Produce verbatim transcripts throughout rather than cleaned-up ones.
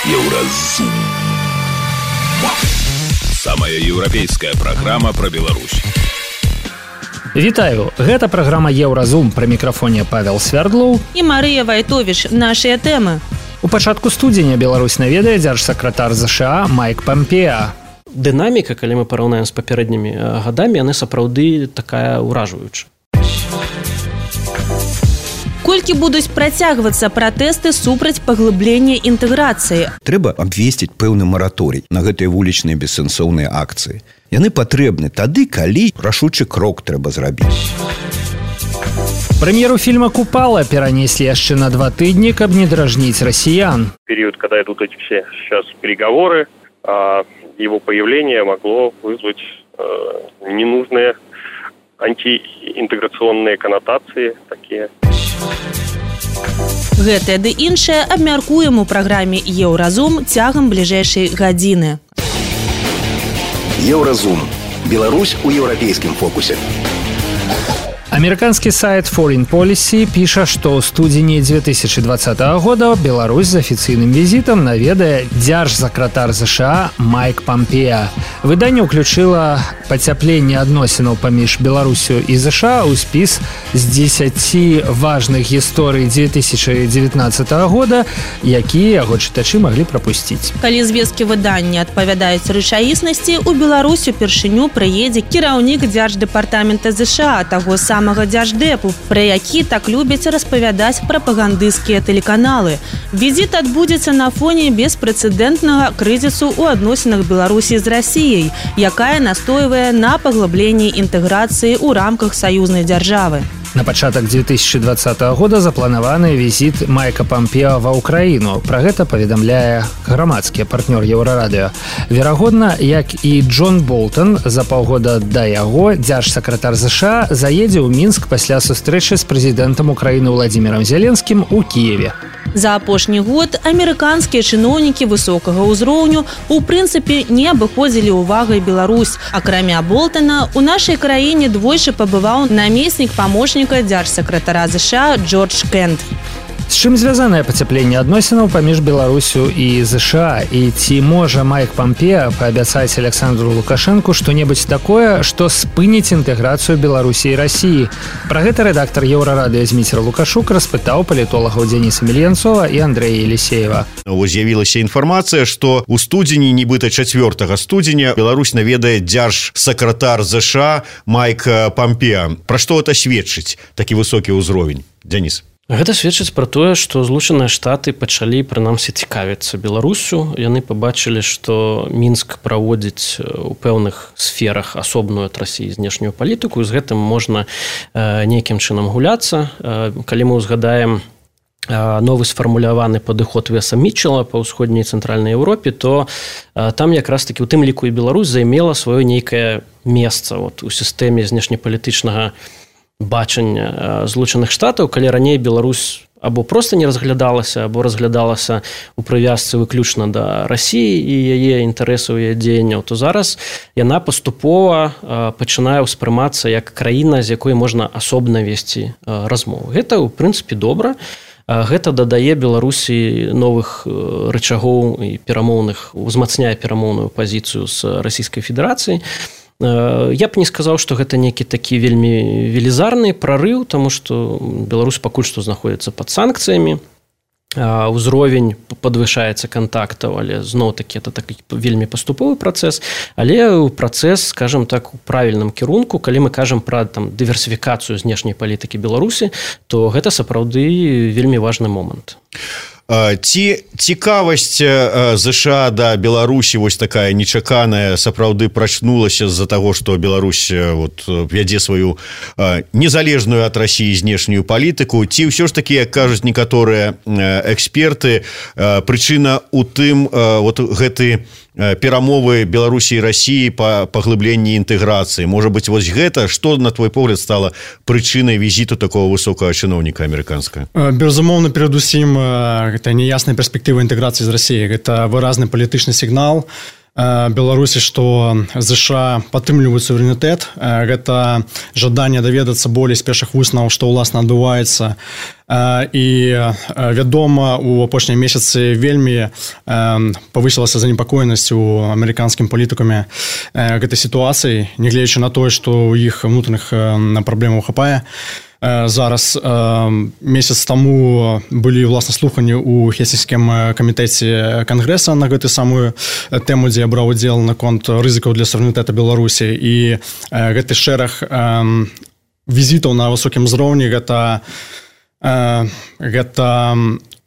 Еўразум. Самая еўрапейская праграма пра Беларусь. Вітаю, гэта праграма Еўразум, пры мікрафоне Павел Свярдлоў і Марыя Вайтовіч. Нашыя тэмы. У пачатку студзеня Беларусь наведае дзяржсакратар ЗША Майк Пампеа. Дынаміка, калі мы параўнаем з папярэднімі гадамі, яны сапраўды такая ўражваючая. Колькі будуць працягвацца пратэсты супраць паглыблення інтэграцыі? Трэба абвесціць пэўны мараторый на гэтыя вулічныя бессэнсоўныя акцыі. Яны патрэбны тады, калі рашучы крок трэба зрабіць. Прэм'еру фильма «Купала» перенесли яшчэ на два тыдні, каб не дражніць расіян. Период, когда идут эти все сейчас переговоры, его появление могло вызвать ненужные антиінтэграцыйныя канатацыі такія. Гэтае ды іншае абмяркуем у праграме «Еўразум» цягам бліжэйшай гадзіны. Еўразум. Беларусь у еўрапейскім фокусе. Амерыканскі сайт Foreign Policy піша, што ў студзені две тысячы двадцатага года Беларусь з афіцыйным візітам наведае дзяржсакратар ЗША Майк Пампеа. Выданне ўключыла пацяпленне адносінаў паміж Беларусю і ЗША ў спіс з дзесяці важных гісторый две тысячы дзевятнаццатага года, якія яго чытачы маглі прапусціць. Калі звесткі выдання адпавядаюць рэчаіснасці, у Беларусь упершыню прыедзе кіраўнік дзярждэпартамента ЗША, таго самага дзярждэпу, пра які так любяць распавядаць прапагандысцкія тэлеканалы. Візіт адбудзецца на фоне беспрэцэдэнтнага крызісу ў адносінах Беларусі з Расіяй, якая настойвае на паглыбленні інтэграцыі ў рамках саюзнай дзяржавы. На пачатак две тысячы двадцатага года запланаваны візіт Майка Пампеа ва ўкраіну. Пра гэта паведамляе грамадскі партнёр Еўрарадыё. Верагодна, як і Джон Болтон, за паўгода да яго дзяржсакратар ЗША заедзе ў Мінск пасля сустрэчы з прэзідэнтам Украіны Владзімірам Зеленскім у Кіеве. За апошні год амерыканскія чыноўнікі высокага ўзроўню у прынцыпе не абыходзілі ўвагай Беларусь. Акрамя Болтона, у нашай краіне двойчы пабываў намеснік памочніка дзяржсакратара ЗША Джордж Кент. З чым звязанае пацяпленне адносінаў паміж Беларусю і ЗША? І ці можа Майк Пампеа паабяцаць Александру Лукашэнку што-небудзь такое, што спыніць інтэграцыю Беларусі і Расіі? Пра гэта рэдактар Еўрарадыё Зміцер Лукашук распытаў палітолагаў Дзеніса Мельянцова і Андрэя Елісеева. З'явілася інфармацыя, што ў студзені, нібыта чацвёртага студзеня, Беларусь наведае дзяржсакратар ЗША Майк Пампеа. Пра што гэта сведчыць такі высокі ўзровень? Дзеніс. Гэта сведчыць пра тое, што Злучаныя Штаты пачалі, прынамсі, цікавіцца Беларусю. Яны пабачылі, што Мінск праводзіць у пэўных сферах асобную ад Расіі знешнюю палітыку, і з гэтым можна э, нейкім чынам гуляцца. Э, калі мы ўзгадаем э, новы сфармуляваны падыход Веса Мітчела па ўсходняй і цэнтральнай Еўропе, то э, там якраз такі, у тым ліку і Беларусь займела сваё нейкае месца вот, у сістэме знешнепалітычнага бачання Злучаных Штатаў, калі раней Беларусь або проста не разглядалася, або разглядалася ў прывязцы выключна да Расіі і яе інтарэсаў і дзеянняў, то зараз яна паступова пачынае ўспрымацца як краіна, з якой можна асобна весці размову. Гэта, ў прынцыпе, добра. Гэта дадае Беларусі новых рычагоў і перамоўных, узмацняе перамоўную пазіцыю з Расійскай Федэрацыяй. Я б не сказаў, што гэта нейкі такі вельмі велізарны прарыў, таму што Беларусь пакуль што знаходзіцца пад санкцыямі. Узровень падвышаецца кантактаў, але зноў-такі это такі вельмі паступовы працэс, але працэс, скажам так, у правільным кірунку. Калі мы кажам пра там дыверсіфікацыю знешняй палітыкі Беларусі, то гэта сапраўды вельмі важны момант. Ці цікавасць ЗША да Беларусі вось такая нечаканая сапраўды прачнулася з-за таго, што Беларусь вот, вядзе сваю незалежную ад Расіі знешнюю палітыку, ці ўсё ж такі, як кажуць некаторыя эксперты, прычына ў тым вот гэты перамовы Беларусі і Расіі па паглыбленні інтэграцыі. Можа быць, вось гэта, што, на твой погляд, стала прычынай візіту такого высокага чыноўніка амерыканскага? Безумоўна, перадусім, гэта неясная перспектыва інтэграцыі з Расіяй. Гэта выразны палітычны сігнал Беларусі, што ЗША падтрымліваюць суверэнітэт. Гэта жаданне даведацца болей з першых высноваў, што ўласна адбываецца і вядома, у апошнія месяцы вельмі павысілася занепакоенасць у амерыканскім палітыкамі гэтай сітуацыі, нягледзячы на тое, што ў іх внутренних праблемаў хапае. Зараз месяц таму былі власна слуханні ў Хельсінскім камітэце Кангрэса на гэтую самую тэму, дзе я браў удзел наконт рызыкаў для суверэнітэта Беларусі, і гэты шэраг візітаў на высокім узроўні гэта гэта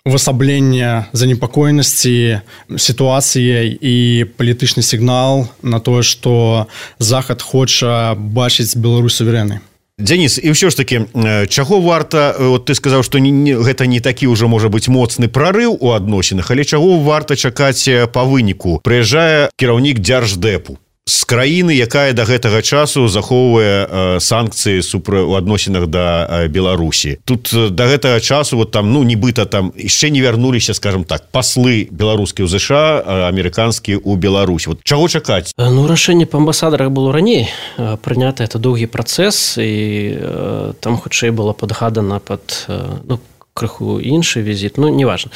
увасабленне занепакоенасці сітуацыяй і палітычны сігнал на тое, што Захад хоча бачыць Беларусь суверэннай. Дзяніс, і ўсё ж такі, чаго варта, от ты сказаў, што не, не, гэта не такі ўжо можа быць моцны прарыў у адносінах, але чаго варта чакаць па выніку? Прыязджае кіраўнік дзярждэпу з краіны, якая да гэтага часу захоўвае э, санкцыі супра у адносінах да э, Беларусі. Тут э, да гэтага часу вот там, ну, нібыта там яшчэ не вярнуліся, скажем так, паслы беларускія ў ЗША, э, амерыканскія ў Беларусь. Вот чаго чакаць? Ну, рашэнне па амбасадарах было раней прынята, это доўгі працэс, і э, там хутчэй было падгадана пад, э, ну, крыху іншы візіт, ну, неважна.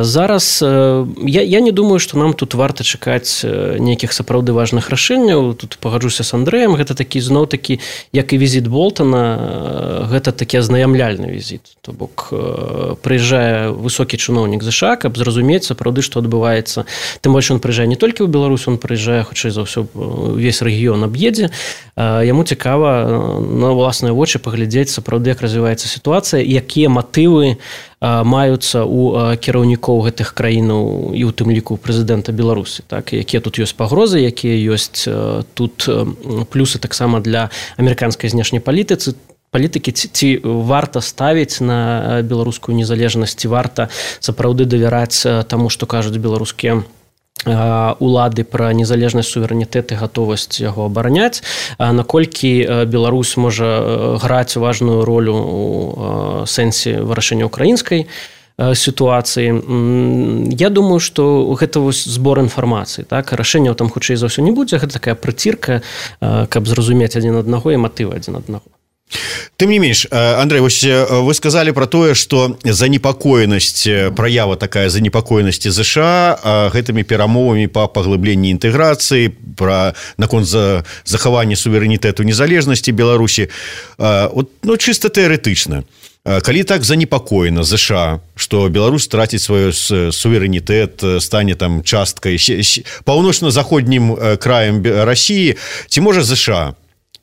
Зараз я, я не думаю, што нам тут варта чакаць нейкіх сапраўды важных рашэнняў. Тут пагаджуся з Андрэем, гэта такі зноў-такі, як і візіт Болтана, гэта такі азнаямляльны візіт. То бок прыязджае высокі чыноўнік ЗША, каб зразумець сапраўды, што адбываецца. Тым больш ён прыязджае не толькі ў Беларусь, он прыязджае, хутчэй за ўсё, увесь рэгіён аб'едзе. Яму цікава на ўласныя вочы паглядзець сапраўды, як развіваецца сітуацыя, якія матывы маюцца ў кіраўнікоў гэтых краінаў і ў тым ліку прэзідэнта Беларусі, так, якія тут ёсць пагрозы, якія ёсць тут плюсы таксама для амерыканскай знешняй палітыцы, палітыкі, ці, ці варта ставіць на беларускую незалежнасць, ці варта сапраўды давяраць таму, што кажуць беларускія улады пра незалежнасць, суверэнітэт і гатовасць яго абараняць, наколькі Беларусь можа граць важную ролю у сэнсе вырашэння украінскай сітуацыі. Я думаю, што гэта вось збор інфармацыі, так, рашэнняў там хутчэй за ўсё не будзе, гэта такая прыцірка, каб зразумець адзін аднаго і матывы адзін аднаго. Тым не менш, Андрэй, вось вы сказалі пра тое, што занепакоенасць, праява такая занепакоенасці ЗША гэтымі перамовамі па паглыбленні інтэграцыі, пра наконт за захавання суверэнітэту незалежнасці Беларусі, от, ну, чыста тэарэтычна. Калі так занепакоена ЗША, што Беларусь страціць свой суверэнітэт, стане там часткай паўночна-заходнім краем Расіі, ці можа ЗША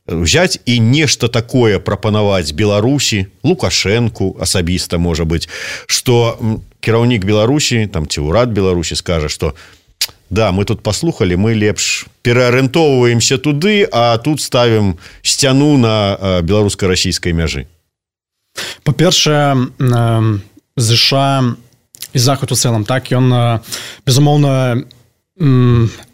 взять і нешта такое прапанаваць Беларусі, Лукашэнку асабіста, можа быць, што кіраўнік Беларусі, там, ці ўрад Беларусі скажа, што да, мы тут паслухалі, мы лепш пераарыентоўваемся туды, а тут ставім сцяну на беларуска-расійскай мяжы. Па-першае, ЗША і Захад у цэлым, так, ён, безумоўна,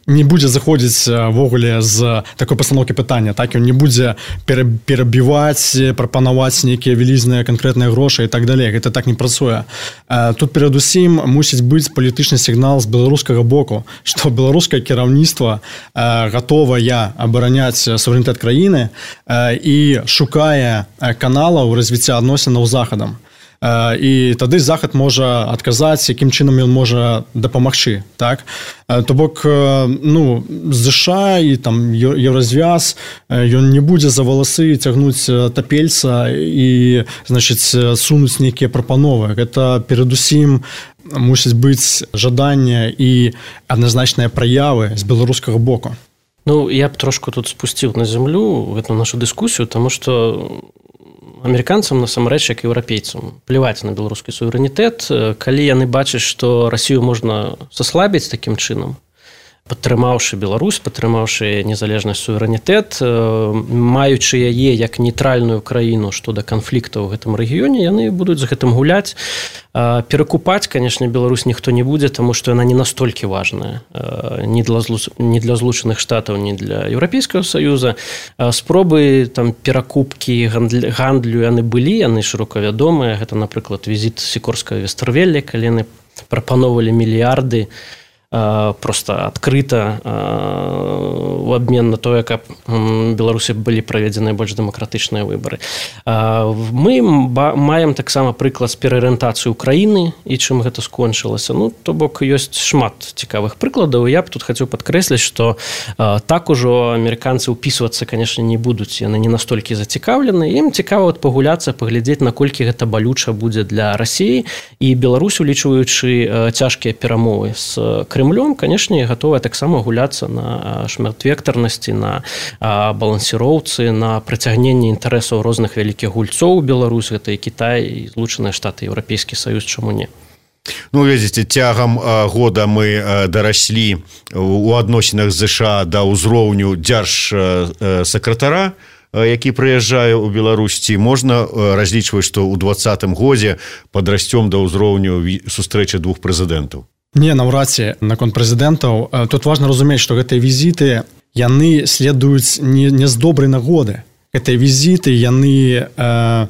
не будзе заходзіць ввогуле з такой пастаноўкі пытання, так, ён не будзе перабіваць, прапанаваць нейкія вялізныя канкрэтныя грошы і так далей, гэта так не працуе. Тут перадусім мусіць быць палітычны сігнал з беларускага боку, што беларускае кіраўніцтва гатовае абараняць суверэнітэт краіны і шукае каналаў развіцця адносінаў з Захадам. І тады Захад можа адказаць, якім чынам ён можа дапамагчы, так? То бок, ну, ЗША і там Еўразвяз, ён не будзе за валасы цягнуць тапельца і, значыць, сунуць нейкія прапановы. Гэта перадусім мусіць быць жаданне і адназначныя праявы з беларускага боку. Ну, я б трошку тут спусціў на зямлю гэту нашу дыскусію, таму што амерыканцам насамрэч, як еўрапейцам, пляваць на беларускі суверэнітэт, калі яны бачаць, што Расію можна саслабіць такім чынам, падтрымаўшы Беларусь, падтрымаўшы незалежнасць, суверэнітэт, маючы яе як нейтральную краіну што да канфліктаў у гэтым рэгіёне, яны будуць з гэтым гуляць. Перакупаць, канешне, Беларусь ніхто не будзе, таму што яна не настолькі важная ні для, ні для Злучаных Штатаў, ні для Еўрапейскага Саюза. Спробы там перакупкі гандлю, гандлю яны былі, яны шырока вядомыя. Гэта, напрыклад, візіт Сікорскага Вестэрвелля, калі яны прапановвалі мільярды просто адкрыта у абмен на тое, каб Беларусі былі праведзеныя больш дэмакратычныя выбары. Мы маем таксама прыклад з пераарыентацыі ўкраіны і чым гэта скончылася. Ну, то бок ёсць шмат цікавых прыкладаў. Я б тут хацеў падкрэсліць, што так ужо амерыканцы ўпісвацца, канешне, не будуць. Яны не настолькі зацікаўлены. Ім цікава пагуляцца, паглядзець, наколькі гэта балюча будзе для Расіі. І Беларусь, улічваючы цяжкія перамовы з Крымлём, канешне, гатовая таксама гуляцца на шматвектарнасці, на балансіроўцы, на прыцягненне інтарэсаў розных вялікіх гульцоў. Беларусь, гэта і Кітай, і Злучаныя Штаты, Еўрапейскі Саюз, чаму не? Ну, ведзіце, цягам года мы дараслі у адносінах ЗША да ўзроўню дзяржсакратара, які прыязджае ў Беларусі. Можна разлічваць, што ў двадцатым годзе падрасцём да ўзроўню сустрэчы двух прэзідэнтаў? Не, наўрад ці наконт прэзідэнтаў. Тут важна разумець, што гэтыя візіты, яны следуюць не, не з добрай нагоды. Гэтыя візіты, яны э, э,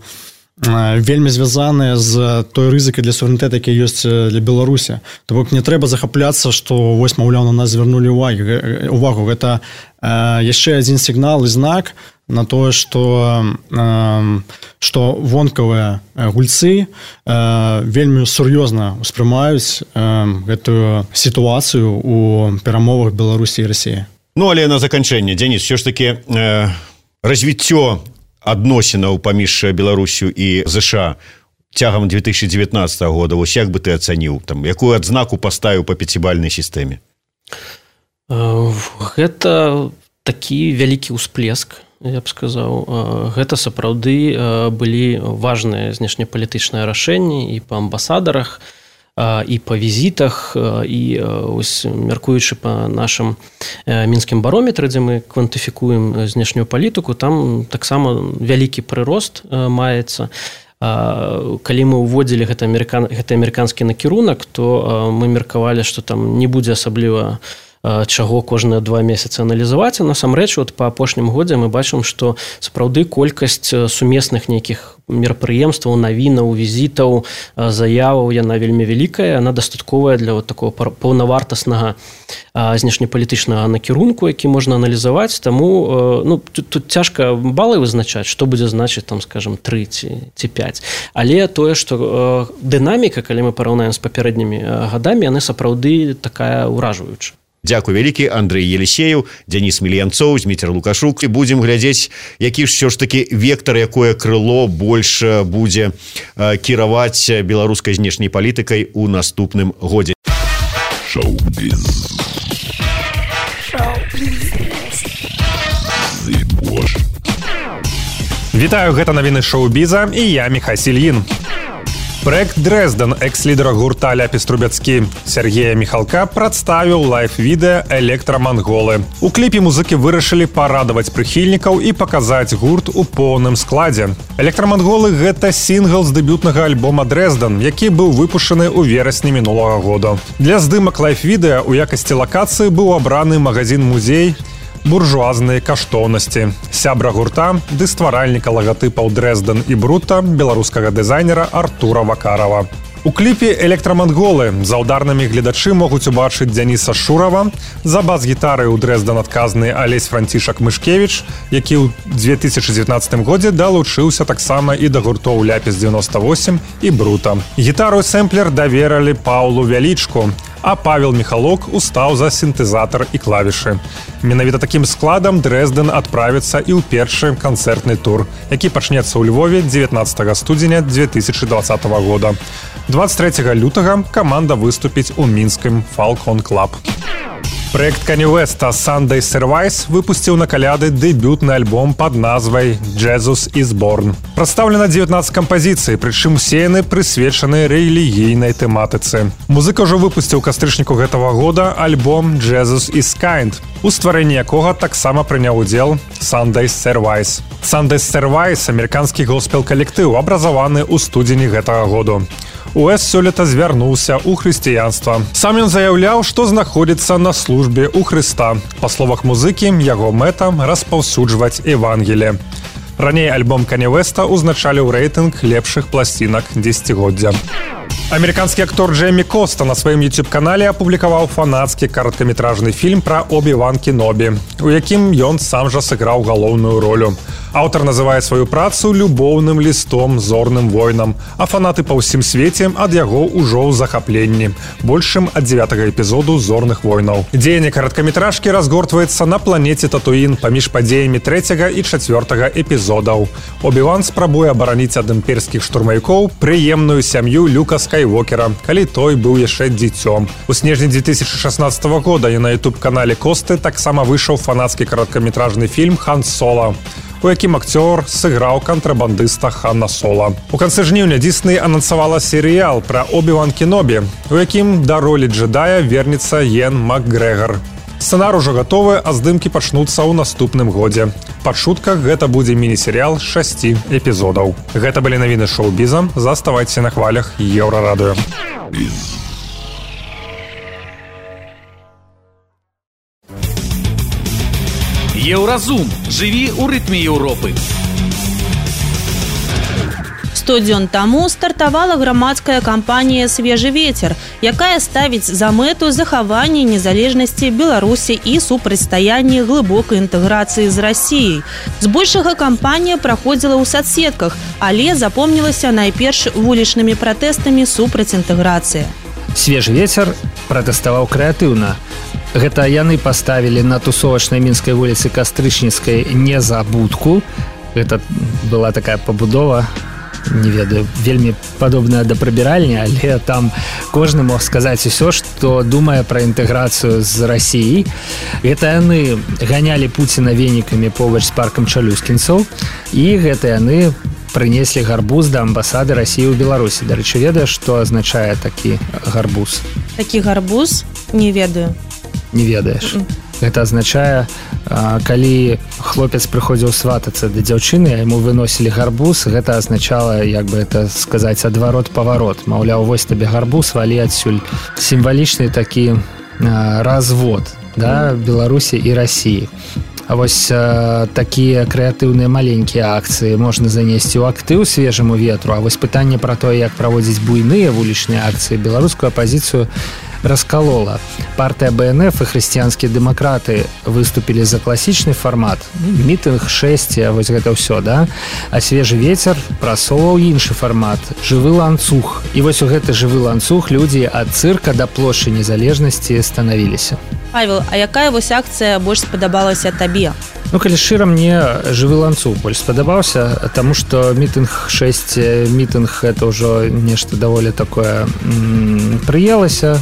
вельмі звязаныя з той рызыкай для суверэнітэта, які ёсць для Беларусі. То бок не трэба захапляцца, што вось, маўляў, на нас звярнулі увагу. Гэта э, яшчэ адзін сігнал і знак на тое, што, э, што вонкавыя гульцы э, вельмі сур'ёзна ўспрымаюць э, гэтую сітуацыю у перамовах Беларусі і Расіі. Ну, але на заканчэнне, Дзяніс, все ж таки э, развіццё адносінаў паміж Беларусю і ЗША цягам две тысячи девятнадцатого года, вось як бы ты ацаніў, там, якую адзнаку паставіў па пяцібальнай сістэме? Гэта такі вялікі ўсплеск, я б сказаў. Гэта сапраўды былі важныя знешнепалітычныя рашэнні і па амбасадарах, і па візітах, і ось, мяркуючы па нашым мінскім барометры, дзе мы квантыфікуем знешнюю палітыку, там таксама вялікі прырост маецца. Калі мы ўводзілі гэты амерыкан... гэты амерыканскі накірунак, то мы меркавалі, што там не будзе асабліва чаго кожныя два месяцы аналізаваць. Насамрэч, от па апошнім годзе мы бачым, што сапраўды колькасць сумесных нейкіх мерапрыемстваў, навінаў, візітаў, заяваў, яна вельмі вялікая, яна дастатковая для вот такого паўнавартаснага знешнепалітычнага накірунку, які можна аналізаваць. Таму ну, тут, тут цяжка балы вызначаць, што будзе значыць, там, скажем, тры ці, ці пяць. Але тое, што дынаміка, калі мы параўнаем з папярэднімі гадамі, яны сапраўды такая ўражваючая. Дзякуй вялікі, Андрэй Елісеев, Дзяніс Мільянцоў, Зміцер Лукашук. І будзем глядзець, які ж все ж таки вектор, якое крыло больш будзе кіраваць беларускай знешняй палітыкай у наступным годзе. Шоу-біз. Вітаю, гэта навіны шоу-біза і я Міхась Ільін. Проект «Дрезден» экс-лідера гурта Ляпіс Трубецкі Сергея Міхалка прадставіў лайф-відэа «Электраманголы». У кліпе музыкі вырашылі парадаваць прыхільнікаў і паказаць гурт у поўным складзе. «Электраманголы» — гэта сінгл з дэбютнага альбома «Дрезден», які быў выпушчаны ў верасні мінулага года. Для здымак лайф-відэа ў якасці лакацыі быў абраны магазін-музей «Буржуазныя каштоўнасці» сябра гурта ды стваральніка лагатыпаў «Дрезден» і «Брута» беларускага дызайнера Артура Вакарова. У кліпе «Электраманголы» за ударнымі гледачы могуць убачыць Дзяніса Шурава, за бас-гітары ў «Дрезден» адказны Алесь Францішак Мышкевіч, які ў две тысячы дзевятнаццатым годзе далучыўся таксама і да гуртоў «Ляпіс девяносто восемь» і «Брута». Гітару і сэмплер давералі Паўлу Вялічку, а Павел Міхалок устаў за сінтэзатар і клавішы. Менавіта такім складам «Дрезден» адправіцца і ў першы канцэртны тур, які пачнецца ў Львове дзевятнаццатага студзеня две тысячи двадцатого года. двадцать третьего лютага каманда выступіць у мінскім Falcon Club. Проект Канье Уэста «Sunday Service» выпусціў на каляды дэбютны альбом пад назвай «Jesus is Born». Прадстаўлена дзевятнаццаць кампазіцый, прычым усе яны прысвечаны рэлігійнай тэматыцы. Музыка ўжо выпусціў у кастрычніку гэтага года альбом «Jesus is Kind», у стварэнні якога таксама прыняў удзел «Sunday Service». «Sunday Service» — амерыканскі госпел-калектыў, абразаваны ў студзені гэтага году. Уэс сёлета звярнуўся ў хрысціянства. Сам ён заяўляў, што знаходзіцца на службе ў Хрыста. Па словах музыкі, яго мэта распаўсюджваць Евангелие. Раней альбом Канье Уэста узначаліў рэйтынг лепшых пласцінак дзесяцігоддзя. Амерыканскі актор Джеймі Коста на сваім YouTube-канале апублікаваў фанацкі кароткаметражны фільм пра Обі-Ван Кенобі, у якім ён сам жа сыграў галоўную ролю. Аўтар называе сваю працу любоўным лістом зорным войнам, а фанаты па ўсім свеце ад яго ўжо ў захапленні, большым ад дзевятага эпізоду зорных войнаў. Дзеянне кароткаметражкі разгортваецца на планеце Татуін паміж падзеямі трэцяга і чацвёртага эпізодаў. Обі-Ван спрабуе абараніць ад імперскіх штурмавікоў прыемную сям'ю Люка Скайуокера, калі той быў яшчэ дзіцём. У снежні две тысячи шестнадцатого года і на YouTube-канале Косты таксама выйшаў фанацкі кароткаметражны фільм «Хан Соло», у якім акцёр сыграў кантрабандыста Хана Соло. У канцы жніўня Дисней анансавала серыял пра Обі-Ван Кенобі, у якім да ролі джедая вернецца Йен Макгрэгар. Сцэнар ужо гатовы, а здымкі пачнуцца ў наступным годзе. Па чутках гэта будзе міні-серыял з шасці эпізодаў. Гэта былі навіны шоу-біза. Заставайцеся на хвалях Еўрарадыё. Еўразум. Жыві ў рытме Еўропы. сто дзён таму стартавала грамадская кампанія «Свежы ветер», якая ставіць за мэту захаванне незалежнасці Беларусі і супрацьстаянне глыбокай інтэграцыі з Расіяй. Збольшага кампанія праходзіла ў садсетках, але запомнілася найперш вулічнымі пратэстамі супраць інтэграцыі. «Свежы ветер» пратэставаў крэатыўна. Гэта яны паставілі на тусовачнай мінскай вуліцы Кастрычніцкай незабудку. Гэта была такая пабудова, не ведаю, вельмі падобная да прыбіральні, але там кожны мог сказаць усё, што думае пра інтэграцыю з Расіяй. Гэта яны ганялі Пуціна венікамі побач з паркам чалюскінцаў, і гэта яны прынеслі гарбуз да амбасады Расіі ў Беларусі. Дарэчы, ведаеш, што азначае такі гарбуз? Такі гарбуз? Не ведаю. Не ведаеш. Гэта азначае, калі хлопец прыходзіў сватацца да дзяўчыны, а яму выносілі гарбуз, гэта азначала, як бы это сказаць, адварот-паварот. Маўляў, вось табе гарбуз, валі адсюль. Сімвалічны такі развод, да, Беларусі і Расіі. А вось э, такія крэатыўныя маленькія акцыі можна занесці ў актыў свежаму ветру. А вось пытанне пра тое, як праводзіць буйныя вулічныя акцыі, беларускую апазіцыю расколола. Партыя бэ эн эф і хрысціянскія дэмакраты выступілі за класічны фармат. Мітынг, шэсце, вось гэта ўсё, да? А свежы ветер прасоўваў іншы фармат. Жывы ланцуг. І вось у гэты жывы ланцуг людзі ад цырка да плошчы незалежнасці станавіліся. Павел, а якая вось акцыя больш спадабалася табе? Ну, калі шчыра, мне жывы ланцуг больш спадабаўся, таму што мітынг шэсць, мітынг это ўжо нешта даволі такое м- прыелася,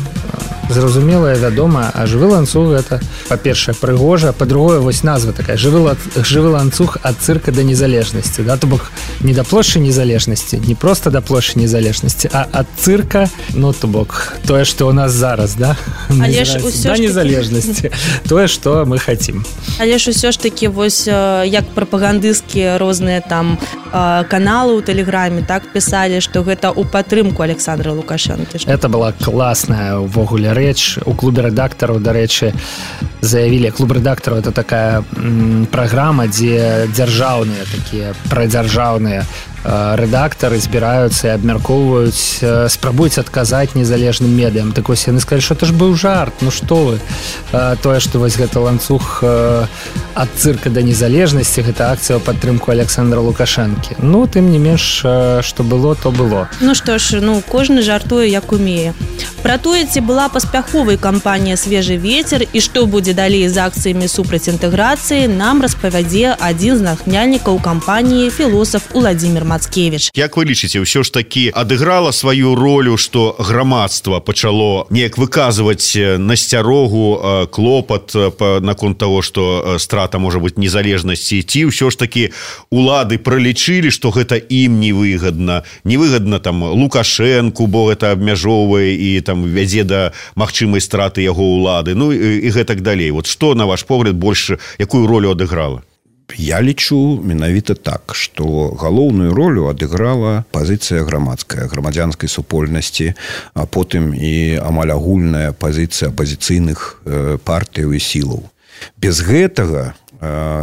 зразумелае, вядомае, а жывы ланцуг это, па-першае, прыгожа, па-другое, вось назва такая, жывы, ла... жывы ланцуг ад цырка да незалежнасці, да, то бок не да плошчы незалежнасці, не проста да плошчы незалежнасці, а ад цырка, ну, то бок тое, што ў нас зараз, да, але ж усё да незалежнасці, тое, што мы хацім. Але ж усё ж такі вось як прапагандысцкія розныя там каналы ў тэлеграме так пісалі, што гэта ў падтрымку Александра Лукашэнкі. Это была класная ўвогуле рэч. У клубе рэдактараў, дарэчы, заявілі, клуб рэдактараў это такая м, праграма, дзе дзяржаўныя такія прадзяржаўныя рэдактары збіраюцца і абмяркоўваюць, спрабуюць адказаць незалежным медыям. Так вось яны сказалі, што это ж быў жарт, ну што вы, тое, што вось гэта ланцуг ад цырка да незалежнасці, гэта акцыя ў падтрымку Александра Лукашэнкі. Ну, тым не менш, што было, то было. Ну што ж, ну кожны жартуе як умее. Пра тое, ці была паспяховай кампанія «Свежы ветер» і што будзе далей з акцыямі супраць інтэграцыі, нам распавядзе адзін з натхняльнікаў кампаніі, філосаф Уладзімір Мацкевіч. Як вы лічыце, ўсё ж такі адыграла сваю ролю, што грамадства пачало неяк выказваць насцярогу, клопат наконт таго, што страта можа быць незалежнасці, ці ўсё ж такі улады пралічылі, што гэта ім невыгадна, невыгадна там Лукашэнку, бо гэта абмяжоўвае і там вядзе да магчымай страты яго ўлады, ну і, і гэтак далей. Вот што, на ваш погляд, больш якую ролю адыграла? Я лічу менавіта так, што галоўную ролю адыграла пазіцыя грамадская, грамадзянскай супольнасці, а потым і амаль агульная пазіцыя апазіцыйных партыяў і сілаў. Без гэтага,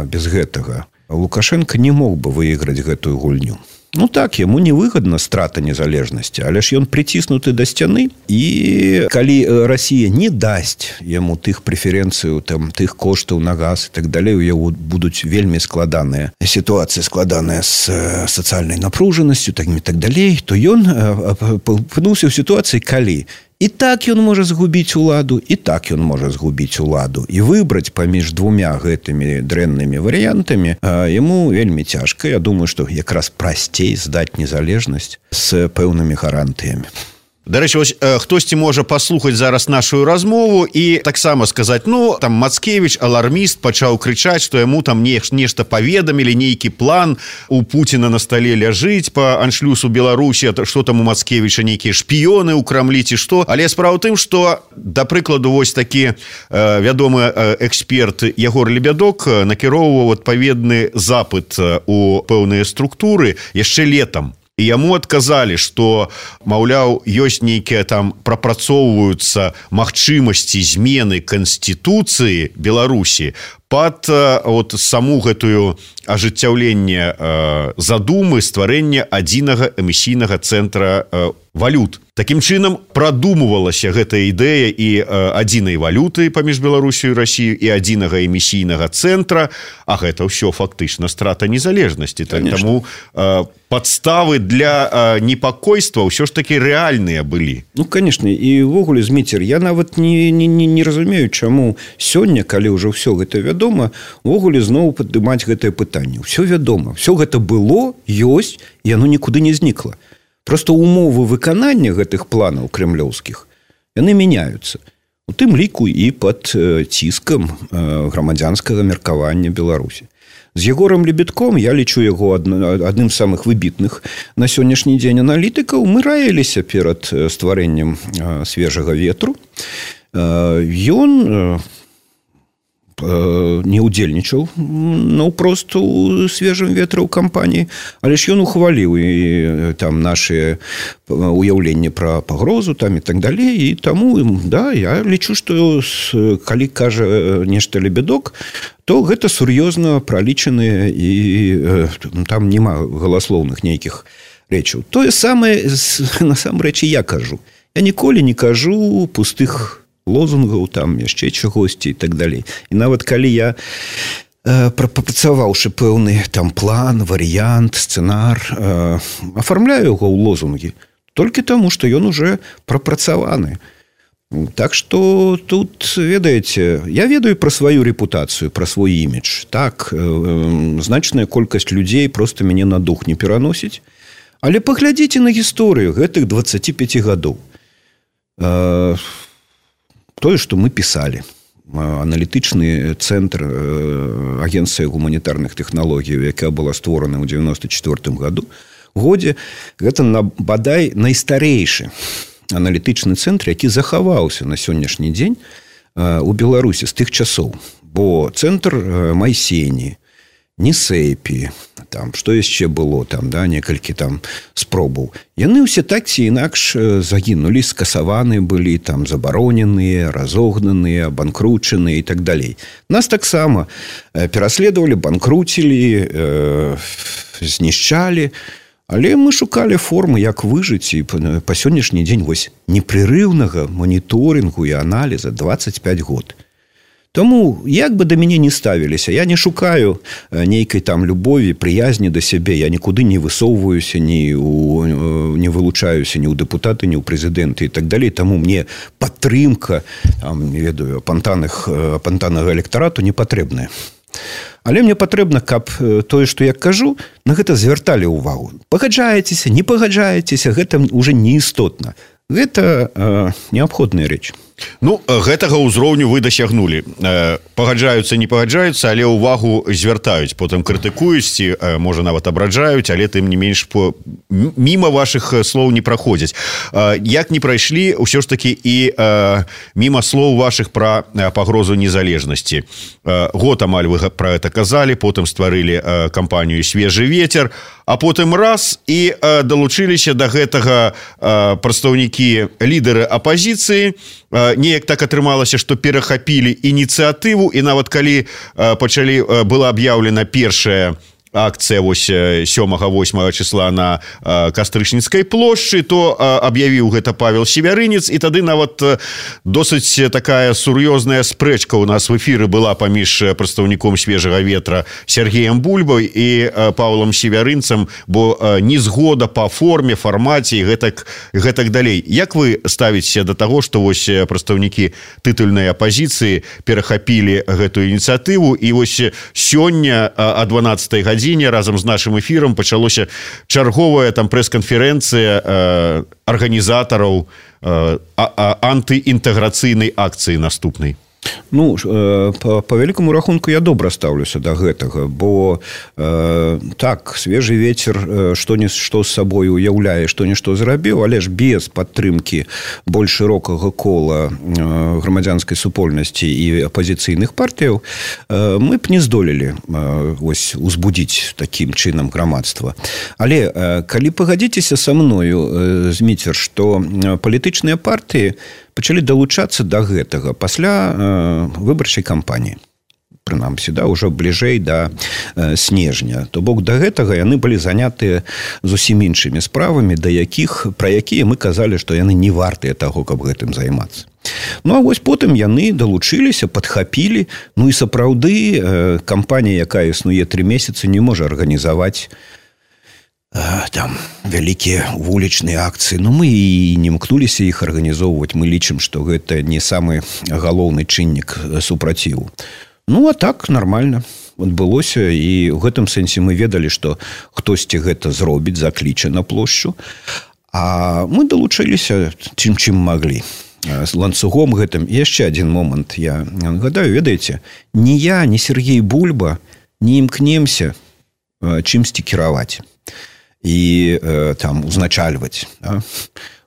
без гэтага Лукашенко не мог бы выиграць гэтую гульню. Ну так, яму невыгодна страта незалежнасці, але ж ён прыціснуты да сцяны, і калі Расія не дасць яму тых прэферэнцыяў, там, тых коштаў на газ і так далей, у яго будуць вельмі складаныя сітуацыі, складаныя з сацыяльнай напружанасцю, так і так далей, то ён апынуўся ў сітуацыі, калі і так ён можа згубіць уладу, і так ён можа згубіць уладу. І выбраць паміж двумя гэтымі дрэннымі варыянтамі яму вельмі цяжка. Я думаю, што якраз прасцей здаць незалежнасць з пэўнымі гарантыямі. Дарэчы, вось хтосьці можа паслухаць зараз нашу размову і таксама сказаць, ну, там Мацкевіч, аларміст, пачаў крычаць, што яму там нешта паведамілі, нейкі план у Пуціна на стале ляжыць па аншлюсу Беларусі, што там у Мацкевіча нейкія шпіёны ў Крамлі ці што. Але справа ў тым, што, да прыкладу, вось такі э, вядомы эксперт Ягор Лебядок накіроўваў адпаведны запыт у пэўныя структуры яшчэ летам. І яму адказалі, што, маўляў, ёсць нейкія там прапрацоўваюцца магчымасці змены Канстытуцыі Беларусі пад от саму гэтую ажыццяўленне э, задумы стварэння адзінага эмісійнага цэнтра э, валют. Такім чынам прадумывалася гэтая ідэя і э, адзінай валюты паміж Беларусію і Расію і адзінага эмісійнага цэнтра, а гэта ўсё фактычна страта незалежнасці. Таму э, падставы для э, непакойства ўсё ж такі рэальныя былі. Ну, конечно, і ўвогуле, Зміцер, я нават не, не, не, не разумею, чаму сёння, калі ўжо ўсё гэта вядома, увогуле зноў падымаць гэтае пытанне. Усё вядома, всё гэта было, ёсць, і яно нікуды не знікла. Просто умовы выканання гэтых планаў крэмлёўскіх, яны мяняюцца. У тым ліку і пад ціскам грамадзянскага меркавання Беларусі. З Егорам Лебедком, я лічу яго адным з самых выбітных на сённяшні дзень аналітыкаў, мы раіліся перад стварэннем свежага ветру. Ён не ўдзельнічаў наўпрост у свежым ветры ў кампаніі, але ж ён ухваліў і там наши уяўленні пра пагрозу там і так далей, і таму, да, я лічу, што калі кажа нешта Лебедок, то гэта сур'ёзна пралічаныя і там няма галаслоўных нейкіх рэчаў. Тое самае насамрэч і я кажу. Я ніколі не кажу пустых лозунгаў, там яшчэ чагосьці і так далей. І нават калі я э, прапрацаваўшы пэўны там план, варыянт, сцэнар, э, афармляю яго ў лозунгі толькі таму, што ён уже прапрацаваны. Так што тут, ведаеце, я ведаю пра сваю рэпутацыю, пра свой імідж. Так, э, значная колькасць людзей проста мяне на дух не пераносіць. Але паглядзіце на гісторыю гэтых дваццаці пяці гадоў. Э, Тое, што мы пісалі. Аналітычны цэнтр агенцыі гуманітарных тэхналогій, якая была створана ў дзевяносто чвёртым году, годзе, гэта на, бадай найстарэйшы аналітычны цэнтр, які захаваўся на сённяшні дзень у Беларусі з тых часоў. Бо цэнтр Майсені, Несэпі, там, што яшчэ было, там, да, некалькі там спробаў. Яны ўсе так ці інакш загінулі, скасаваны былі, там, забароненыя, разогнаныя, банкручаныя і так далей. Нас таксама пераследавалі, банкруцілі, э, знішчалі, але мы шукалі формы, як выжыць, і па, па сённяшні дзень вось непрерыўнага моніторынгу і аналіза дваццаць пяць год. Тому, як бы да мяне не ставіліся, я не шукаю нейкай там любові, прыязні да сябе, я нікуды не высоўваюся, ні у, не вылучаюся ні ў дэпутаты, ні ў прэзідэнты і так далей. Таму мне падтрымка, там, не ведаю, апантаных, апантанага электарату не патрэбная. Але мне патрэбна, каб тое, што я кажу, на гэта звярталі ўвагу. Пагаджаецеся, не пагаджаецеся, гэта ўжо неістотна. Гэта э, неабходная рэч. Ну, гэтага ўзроўню вы дасягнулі. Пагаджаюцца, не пагаджаюцца, але ўвагу звяртаюць, потым крытыкуюць, ці, можа, нават абраджаюць, але тым не менш по... міма вашых слоў не праходзяць. Як не прайшлі, ўсё ж такі і міма слоў вашых пра пагрозу незалежнасці. Год амаль вы пра гэта казалі, потым стварылі кампанію «Свежы ветер», а потым раз і далучыліся да гэтага прадстаўнікі лідары апазіцыі, неяк так атрымалася, што перахапілі ініцыятыву, і нават калі пачалі была аб'яўлена першая акцыя вось сёмага-восьмага числа на Кастрычніцкай плошчы, то аб'явіў гэта Павел Севярынец, і тады нават досыць такая сур'ёзная спрэчка ў нас в эфіры была паміж прадстаўніком свежага ветра Сергеем Бульбой і Павлом Севярынцам, бо незгода па форме, фармаце і гэтак, гэтак далей. Як вы ставіце да таго, што вось прадстаўнікі тытульнай апазіцыі перахапілі гэтую ініцыятыву, і вось сёння о дванаццатай гадзіне разам з нашым эфірам пачалося чарговая там прэс-канферэнцыя э, арганізатараў э, антыінтэграцыйнай акцыі наступнай. Ну, по, по вялікаму рахунку я добра стаўлюся да гэтага, бо э, так, свежы ветер што не што з сабой уяўляе, што нішто зрабіў, але ж без падтрымкі больш шырокага кола э, грамадзянскай супольнасці і апазіцыйных партыяў э, мы б не здолелі э, ось узбудзіць такім чынам грамадства. Але э, калі пагадзіцеся са мною, э, Зміцер, што палітычныя партыі пачалі далучацца да гэтага пасля э, выбарчай кампаніі. Прынамсі, да, ўжо бліжэй да э, снежня. То бок да гэтага яны былі занятыя зусім іншымі справамі, да якіх, пра якія мы казалі, што яны не вартыя таго, каб гэтым займацца. Ну, а вось потым яны далучыліся, падхапілі. Ну, і сапраўды э, кампанія, якая існуе тры месяцы, не можа арганізаваць там вялікія вулічныя акцыі. Ну, мы і не імкнуліся іх арганізоўваць. Мы лічым, што гэта не самы галоўны чыннік супраціву. Ну, а так нормально адбылося, і ў гэтым сэнсе мы ведалі, што хтосьці гэта зробіць, закліча на плошчу. А мы далучыліся чым чым маглі. З ланцугом гэтым. І яшчэ адзін момант я нагадаю, ведаеце, ні я, ні Сергей Бульба не імкнемся чымсьці кіраваць і э, там узначальваць. Да?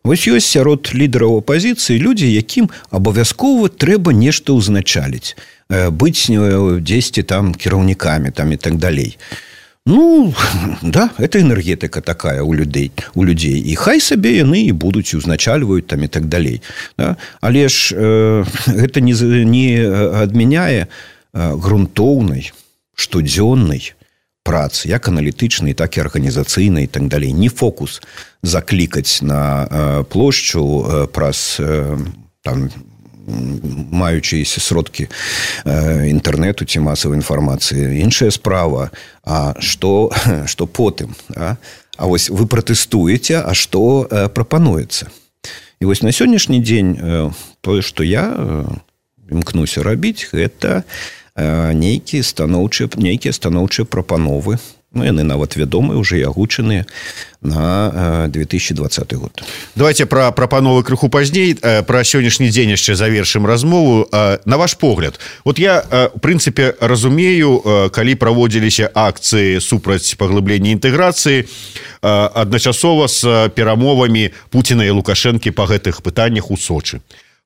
Вось ёсць сярод лідараў апазіцыі людзі, якім абавязкова трэба нешта ўзначаліць, э, быць дзесьці там кіраўнікамі там і так далей. Ну, да, это энергетыка такая у людзей, у людзей. І хай сабе яны і будуць узначальваюць там і так далей. Да? Але ж э, гэта не, не адмяняе э, грунтоўнай, штодзённай працы, як аналітычнай, так і арганізацыйнай і так далей. Не фокус заклікаць на э, плошчу э, праз э, там, маючыся сродкі э, інтэрнэту ці масавай інфармацыі. Іншая справа, а што, што потым? А? а вось вы пратэстуеце, а што э, прапануецца? І вось на сённяшні дзень э, тое, што я э, імкнуся рабіць, гэта нейкія станоўчыя нейкія станоўчыя прапановы. Ну, яны нават вядомыя, уже і агучаныя на две тысячи двадцаты год. Давайте пра прапановы крыху пазней, пра сённяшні дзень яшчэ завершым размову. На ваш погляд, вот я в прынцыпе разумею, калі праводзіліся акцыі супраць паглыблення інтэграцыі адначасова з перамовамі Пуціна і Лукашэнкі па гэтых пытаннях у Сочы.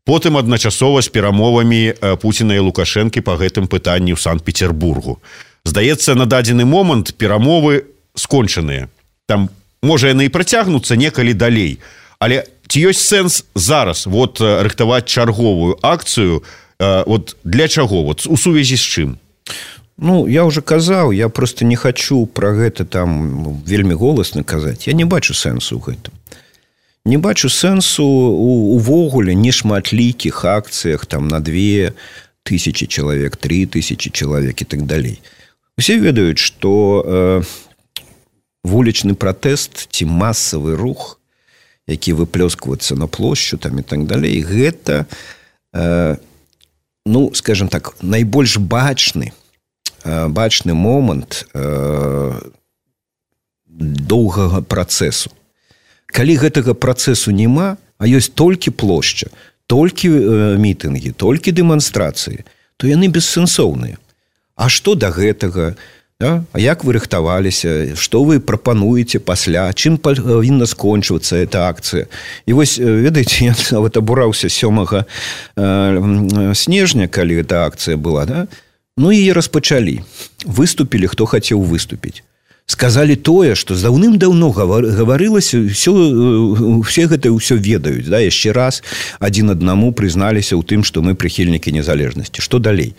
Потым адначасова з перамовамі Пуціна і Лукашэнкі па гэтым пытанні ў Санкт-Петербургу. Здаецца, на дадзены момант перамовы скончаныя. Там, можа, яны і працягнуцца некалі далей. Але ці ёсць сэнс зараз вот рыхтаваць чарговую акцыю? Вот для чаго? Вот у сувязі з чым? Ну, я уже казаў, я просто не хочу пра гэта там вельмі голасна казаць. Я не бачу сэнсу ў гэтым. Не бачу сэнсу увогуле нешматлікіх акцыях там на две тысячи чалавек, три тысячи чалавек і так далей. Усе ведаюць, што э, вулічны пратэст ці масавы рух, які выплёскваецца на плошчу там і так далей, гэта э, ну, скажем так, найбольш бачны э, бачны момант э, доўгага працэсу. Калі гэтага працэсу няма, а ёсць толькі плошча, толькі э, мітынгі, толькі дэманстрацыі, то яны бессэнсоўныя. А што да гэтага? Да? А як вы рыхтаваліся? Што вы прапануеце пасля? Чым павінна скончвацца эта акцыя? І вось, ведаеце, я нават абураўся сёмага э, снежня, калі эта акцыя была, да? Ну, яе распачалі. Выступілі, хто хацеў выступіць. сказали тое, што даўным-даўно гаварылася, все, все гэта ўсё ведаюць, да, яшчэ раз адзін аднаму прызналіся ў тым, што мы прыхільнікі незалежнасці. Што далей?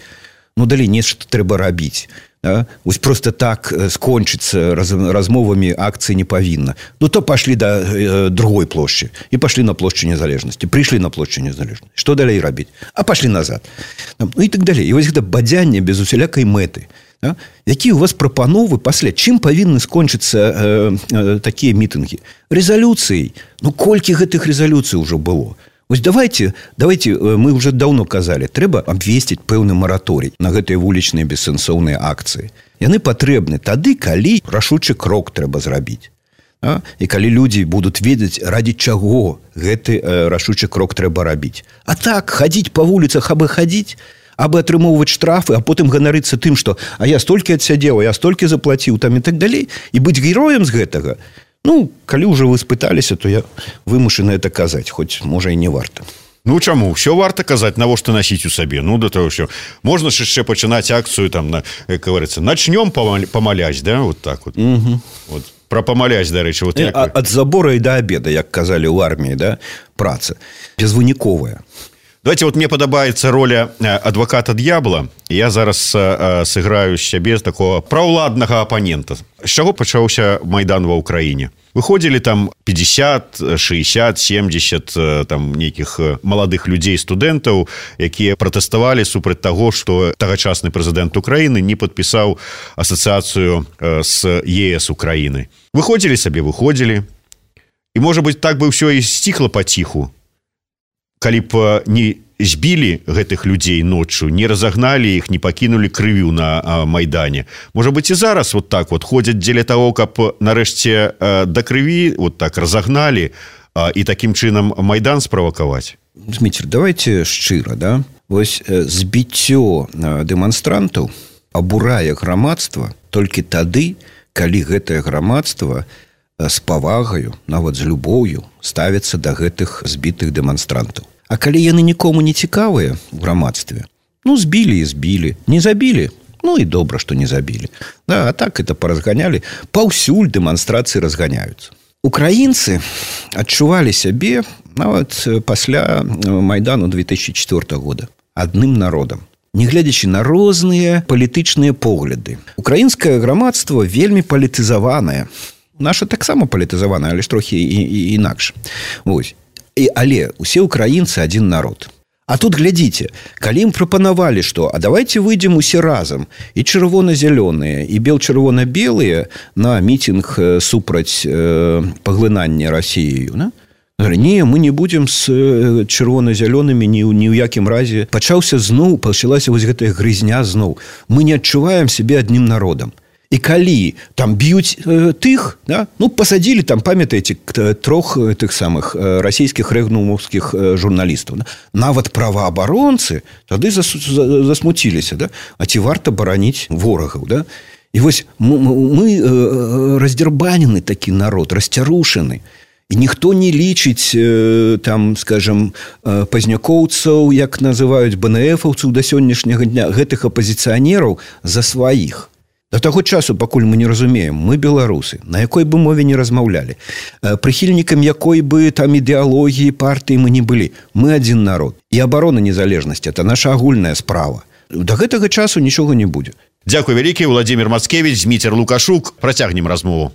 Ну, далей нешта трэба рабіць. Да? Вось просто так скончыцца раз, размовамі акцыі не павінна. Ну, то пашлі да э, другой плошчы і пашлі на плошчу незалежнасці, прыйшлі на плошчу незалежнасці. Што далей рабіць? А пашлі назад. Ну, і так далей. І вось гэта бадзянне без усялякай мэты. Да? Якія у вас прапановы пасля? Чым павінны скончыцца э, э, такія мітынгі? Рэзалюцыяй. Ну, колькі гэтых рэзалюцый ўжо было? Вось давайте, давайте, мы уже даўно казалі, трэба абвесціць пэўны мараторый на гэтыя вулічныя бессэнсоўныя акцыі. Яны патрэбны тады, калі рашучы крок трэба зрабіць. А? І калі людзі будуць ведаць, раді чаго гэты э, рашучы крок трэба рабіць. А так, хадзіць па вуліцах, абы хадзіць, абы атрымоўваць штрафы, а потым ганарыцца тым, што а я столькі адсядзеў, а я столькі заплаціў, там і так далей, і быць героем з гэтага. Ну, калі ўжо вы спыталіся, то я вымушаны это казаць, хоць, можа, і не варта. Ну, чаму? Все варта казаць, навошта насіць у сабе. Ну, да того, що можна ж яшчэ пачынаць акцыю, там, на, як говорится, начнём памаляць, да, вот так вот. Угу. Вот. Про памаляць, дарэчы, вот як... Ад забора і да абеда, як казалі ў арміі, да, праца, безвыніковая. Давайте, вот мне падабаецца роля адваката д'ябла. Я зараз э, сыграю з сябе з такого праўладнага апанента. З чаго пачаўся Майдан ва ўкраіне? Выходзілі там пятьдесят, шестьдесят, семьдесят там нейкіх маладых людзей, студэнтаў, якія пратэставалі супраць таго, што тагачасны прэзідэнт Украіны не падпісаў асацыяцыю э, з ЕС Украіны. Выходзілі сабе, выходзілі. І, можа быць, так бы ўсё і сціхла паціху. Калі б не збілі гэтых людзей ноччу, не разагналі іх, не пакінулі крывю на а, Майдане. Можа быць, і зараз вот так вот ходзяць дзеля таго, каб нарэшце а, да крыві вот так разагналі а, і такім чынам Майдан справакаваць. Дмітрий, давайте шчыра, да? Вось збіццё дэманстрантаў абурае грамадства толькі тады, калі гэтае грамадства з павагаю, нават з любоўю ставіцца да гэтых збітых дэманстрантаў. А калі яны нікому не цікавыя ў грамадстве, ну, збілі і збілі, не забілі, ну, і добра, што не забілі. Да, а так это паразганялі, паўсюль дэманстрацыі разганяюцца. Украінцы адчувалі сябе нават пасля Майдану две тысячи четвёртого года адным народам, нягледзячы на розныя палітычныя погляды. Украінскае грамадства вельмі палітызаванае. Наша таксама палітызаваная, але ж трохі і, і, інакш. Вось. І, але усе украінцы адзін народ. А тут глядзіце, калі ім прапанавалі, што а давайте выйдзем усе разам, і чырвона-зялёныя, і бел-чырвона-белыя на мітинг супраць э, паглынання Расіяю, да? Не, мы не будем з чырвона-зялёнымі ні, ні ў якім разе. Пачаўся зноў, пачалася вось гэтая грызня зноў. Мы не адчуваем сябе адным народам. І калі там б'юць э, тых, да, ну, пасадзілі там, памятаеце, трох тых самых э, расійскіх рэгнумаўскіх э, журналістаў. Да? Нават праваабаронцы тады зас, за, засмуціліся. Да? А ці варта бараніць ворагаў? Да? І вось мы, мы э, раздзярбанены такі народ, расцярушаны. І ніхто не лічыць, э, там, скажем, э, пазнякоўцаў, як называюць БНФаўцаў да сённяшняга дня, гэтых апазіцыянераў за сваіх. До таго часу, пакуль мы не разумеем, мы беларусы, на якой бы мове не размаўлялі, прыхільнікам якой бы там ідэалогіі, партыі мы не былі. Мы адзін народ. І абарона незалежнасці – это наша агульная справа. До гэтага часу нічога не будзе. Дзякуй вялікі, Владимир Мацкевич, Зміцер Лукашук. Працягнем размову.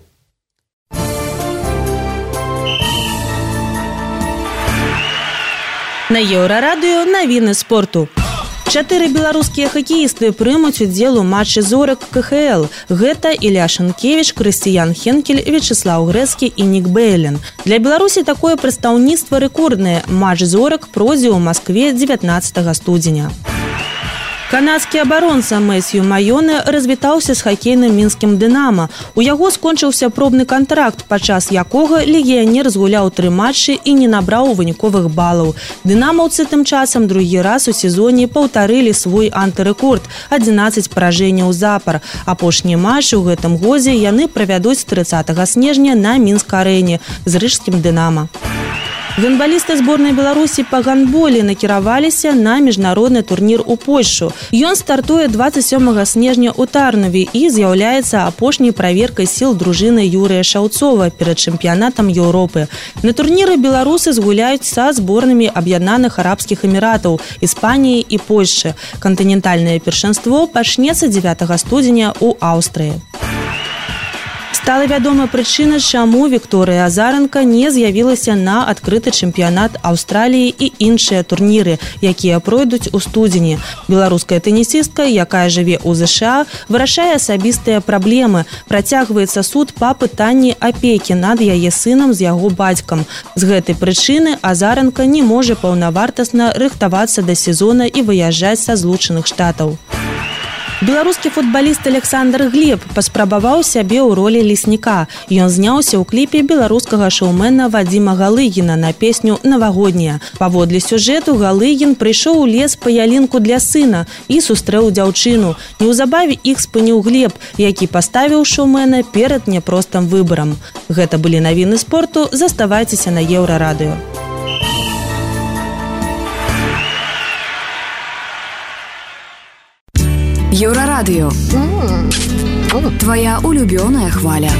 На Еўрарадыё навіны спорту. Чатыры беларускія хакеісты прымуць удзел у матчы зорак ка ха эл. Гэта Ілля Шанкевіч, Крыстыян Хенкель, Вячеслаў Грэцкі і Нік Бэйлен. Для Беларусі такое прадстаўніцтва рэкорднае. Матч зорак пройдзе ў Маскве дзевятнаццатага студзеня. Канадскі абаронца Мэсью Майоне развітаўся з хакейным мінскім «Дынама». У яго скончыўся пробны кантракт, падчас якога легіянер згуляў тры матчы і не набраў выніковых балаў. «Дынамаўцы» тым часам другі раз у сезоне паўтарылі свой антырэкорд – адзінаццаць паражэнняў запар. Апошні матч у гэтым годзе яны правядуць трыццатага снежня на Мінск-арэне з рыжскім «Дынама». Гандбалісты зборнай Беларусі па гандболе накіраваліся на міжнародны турнір у Польшу. Ён стартуе дваццаць сёмага снежня ў Тарнове і з'яўляецца апошняй праверкай сіл дружыны Юрыя Шаўцова перад чэмпіянатам Еўропы. На турніры беларусы згуляюць са зборнымі Аб'яднаных Арабскіх Эміратаў, Іспаніі і Польшчы. Кантынентальнае першынство пачнецца дзевятага студзеня ў Аўстрыі. Стала вядома прычына, чаму Вікторыя Азаранка не з'явілася на адкрыты чэмпіянат Аўстраліі і іншыя турніры, якія пройдуць у студзені. Беларуская тэнісістка, якая жыве ў ЗША, вырашае асабістыя праблемы. Працягваецца суд па пытанні апекі над яе сынам з яго бацькам. З гэтай прычыны Азаранка не можа паўнавартасна рыхтавацца да сезона і выязджаць са Злучаных Штатаў. Беларускі футбаліст Александр Глеб паспрабаваў сябе ў ролі лесніка. Ён зняўся ў кліпе беларускага шоумена Вадзіма Галыгіна на песню «Навагодняя». Паводле сюжэту Галыгін прыйшоў у лес па ялінку для сына і сустрэў дзяўчыну. Неўзабаве іх спыніў Глеб, які паставіў шоумена перад няпростым выбарам. Гэта былі навіны спорту. Заставайцеся на Еўрарадыё. Еўрарадыё. Твоя улюбёная хваля.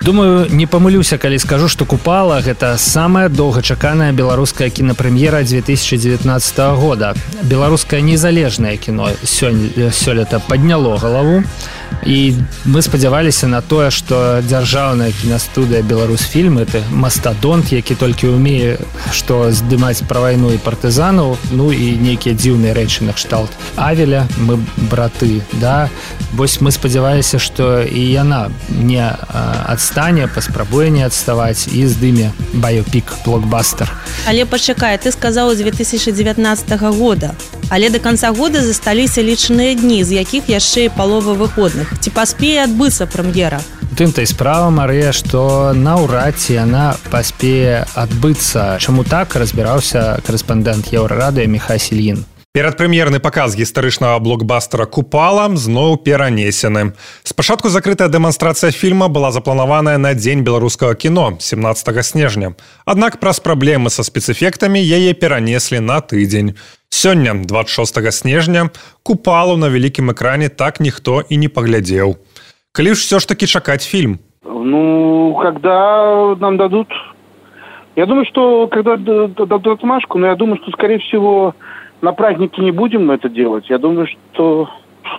Думаю, не памылюся, калі скажу, што «Купала» – гэта самая доўгачаканая беларуская кінапрэм'ера две тысячи девятнадцатого года. Беларускае незалежнае кіно сёлета падняло галаву. І мы спадзяваліся на тое, што дзяржаўная кінастудыя «Беларусьфільм» – это мастадонт, які толькі ўмее што здымаць пра вайну і партызанаў, ну і нейкія дзіўныя рэчы накшталт Авеля, мы браты, да? Вось мы спадзяваліся, што і яна не адстане, паспрабуе не адставаць і здыме баёпік, блокбастер. Але пачакай, ты сказаў две тысячи девятнадцатого года. Але до конца года засталіся лічаныя дні, з якіх яшчэ і палова выходных. Ці паспее адбыцца прэм'ера? Тым-то і справа, Марыя, што наўрад ці яна паспее адбыцца. Чаму так, разбіраўся корэспандэнт Еўрарадыё Міхай Сільін. Перадпрэм'ерны паказ гістарычнага блокбастера «Купала» зноў перанесены. Спачатку закрытая дэманстрацыя фільма была запланаваная на дзень беларускага кіно, семнадцатого снежня. Аднак праз праблемы са спецэфектамі яе перанеслі на тыдзень. Сёння, двадцать шестого снежня, «Купалу» на вялікім экране так ніхто і не паглядзеў. Калі ж все ж таки чакаць фильм? Ну, когда нам дадут... Я думаю, что когда дадут отмашку, но я думаю, что, скорее всего, на празднике не будем это делать. Я думаю, что,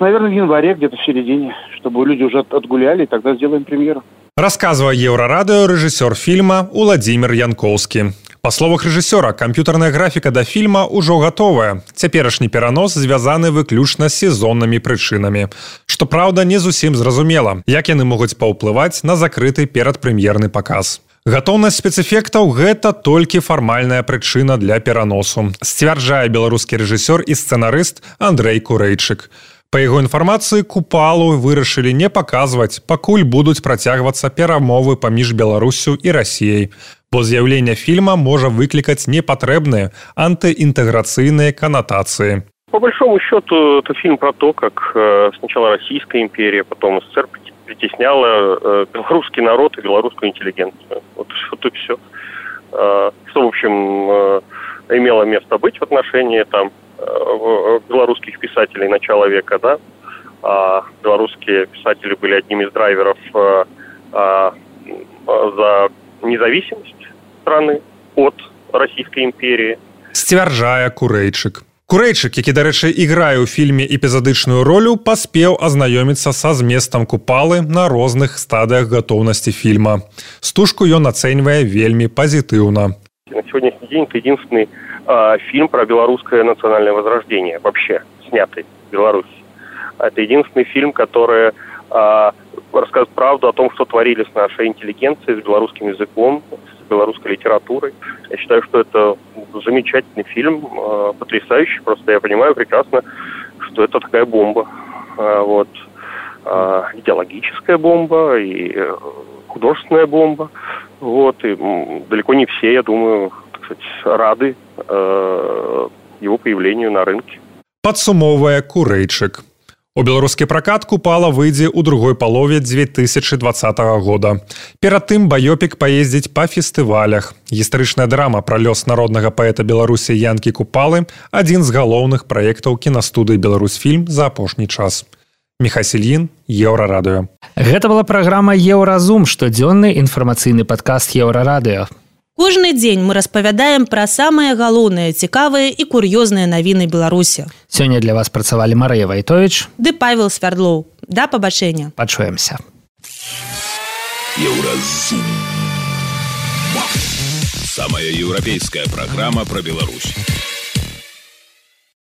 наверное, в январе, где-то в середине, чтобы люди уже отгуляли, и тогда сделаем премьеру. Расказвае Еўрарадыё рэжысёр фільма Уладзімір Янкоўскі. Па словах рэжысёра, камп'ютарная графіка да фільма ўжо гатовая. Цяперашні перанос звязаны выключна з сезоннымі прычынамі. Што праўда, не зусім зразумела, як яны могуць паўплываць на закрыты перадпрэм'ерны паказ. Гатоўнасць спецэфектаў – гэта толькі фармальная прычына для пераносу, сцвярджае беларускі рэжысёр і сцэнарыст Андрэй Курэйчык. Па яго інфармацыі, «Купалу» вырашылі не паказваць, пакуль будуць працягвацца перамовы паміж Беларуссю і Расіяй, бо з'яўленне фільма можа выклікаць непатрэбныя антыінтэграцыйныя канатацыі. По большому счету, это фильм про то, как э, сначала Российская империя, потом СССР притесняла э, белорусский народ и белорусскую интеллигенцию. Вот, вот и все. Э, что, в общем, э, имело место быть в отношении там э, белорусских писателей начала века, да? А белорусские писатели были одним из драйверов э, э, за независимость страны от Российской империи. Сцвярджае Курэйчык. Курэйчык, які, дарэчы, іграе ў фільме эпізадычную ролю, паспеў азнаёміцца са зместам «Купалы» на розных стадыях гатоўнасці фільма. Стужку ён ацэньвае вельмі пазітыўна. На сегодняшний день это единственный э, фильм про белорусское национальное возрождение, вообще снятый в Беларуси. Это единственный фильм, который э, рассказывает правду о том, что творили с нашей интеллигенцией, с белорусским языком, с белорусской литературой. Я считаю, что это замечательный фильм, э, потрясающий. Просто я понимаю прекрасно, что это такая бомба. Э, вот. Э, идеологическая бомба и э, художественная бомба. Вот. И м, далеко не все, я думаю, так сказать, рады э, его появлению на рынке. Падсумоўвае Курэйчык. У беларускі пракат купала выйдзе ў другой палове две тысячи двадцатого года. Перад тым баёпік паездзіць па фестывалях. Гістарычная драма пра лёс народнага паэта Беларусі Янкі Купалы – адзін з галоўных праектаў кінастудыі «Беларусьфільм» за апошні час. Михасіль Ін, Еўрарадыё. Гэта была праграма «Еўразум», штодзённы інфармацыйны падкаст «Еўрарадыё». Кожны дзень мы распавядаем пра самыя галоўныя, цікавыя і кур'ёзныя навіны Беларусі. Сёння для вас працавалі Марыя Вайтовіч ды Павел Свярдлоў. Да пабачэння. Пачуемся. Еўразум. Самая еўрапейская праграма пра Беларусь.